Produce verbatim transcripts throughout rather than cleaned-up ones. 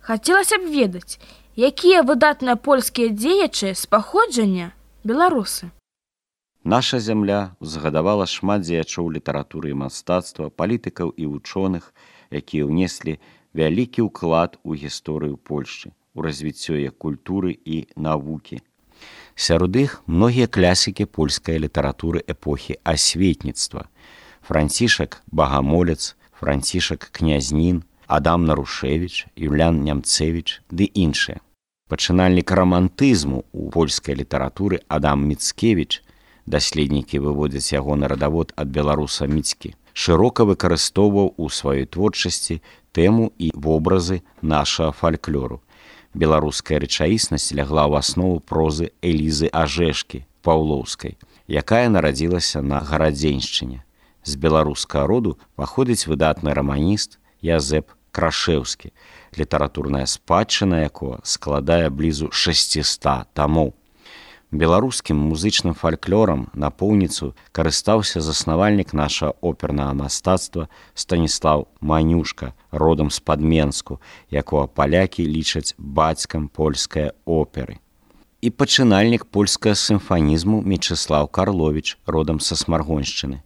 Хацелася б ведаць, якія выдатныя польскія дзеячы з паходжання беларусы. Наша зямля узгадавала шмат дзеячоў літаратуры і мастацтва, палітыкаў і вучоных, якія ўнеслі вялікі ўклад у гісторыю Польшчы, у развіццё яе культуры і навукі. Сярод іх многія класікі польскай літаратуры эпохі асветніцтва. Францішак Багамолец, Францішак Князнін, Адам Нарушевіч, Юлян Нямцевіч ды іншыя. Пачынальнік рамантызму ў польскай літаратуры Адам Міцкевіч, даследнікі выводзяць ягоны радавод ад беларуса Міцкі, шырока выкарыстоўваў у сваёй творчасці тэму і вобразы нашага фальклору. Беларуская рэчаіснасць лягла ў аснову прозы Элізы Ажэшкі Паўлоўскай, якая нарадзілася на Гарадзеншчыне. З беларускага роду паходзіць выдатны раманіст Язэп Крашэўскі, літаратурная спадчына якога складае блізу шасціста тамоў. Беларускім музычным фальклорам напоўніцу карыстаўся заснавальнік нашага опернага мастацтва Станіслаў Манюшка, родам з-пад Менску, якога палякі лічаць бацькам польскай оперы. І пачынальнік польскага сімфанізму Мечыслаў Карловіч, родам са Смаргоншчыны.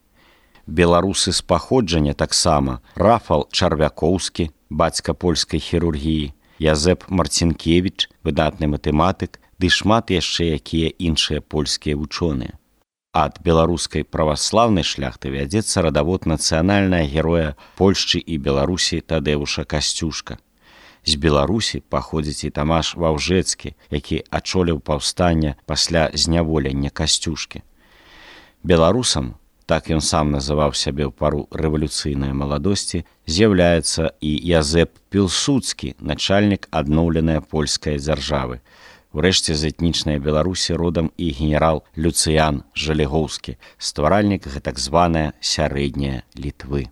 Беларусы з паходжання таксама Рафал Чарвякоўскі, бацька польскай хірургіі, Язэп Марцінкевіч, выдатны матэматык, ды шмат яшчэ якія іншыя польскія вучоныя. Ад беларускай праваслаўнай шляхты вядзецца радавод нацыянальнага героя Польшчы і Беларусі Тадэвуша Касцюшка. З Беларусі паходзіць і Тамаш Ваўжэцкі, які ачоліў паўстанне пасля зняволення Касцюшкі. Беларусам, так ён сам называў сябе ў пару рэвалюцыйнай маладосці, з'яўляецца і Язэп Пілсудскі, начальнік адноўленай польскай дзяржавы. Урэшце з этнічнай Беларусі родам і генерал Люцыян Жалегоўскі, стваральнік гэтак званае сярэдняе Літвы.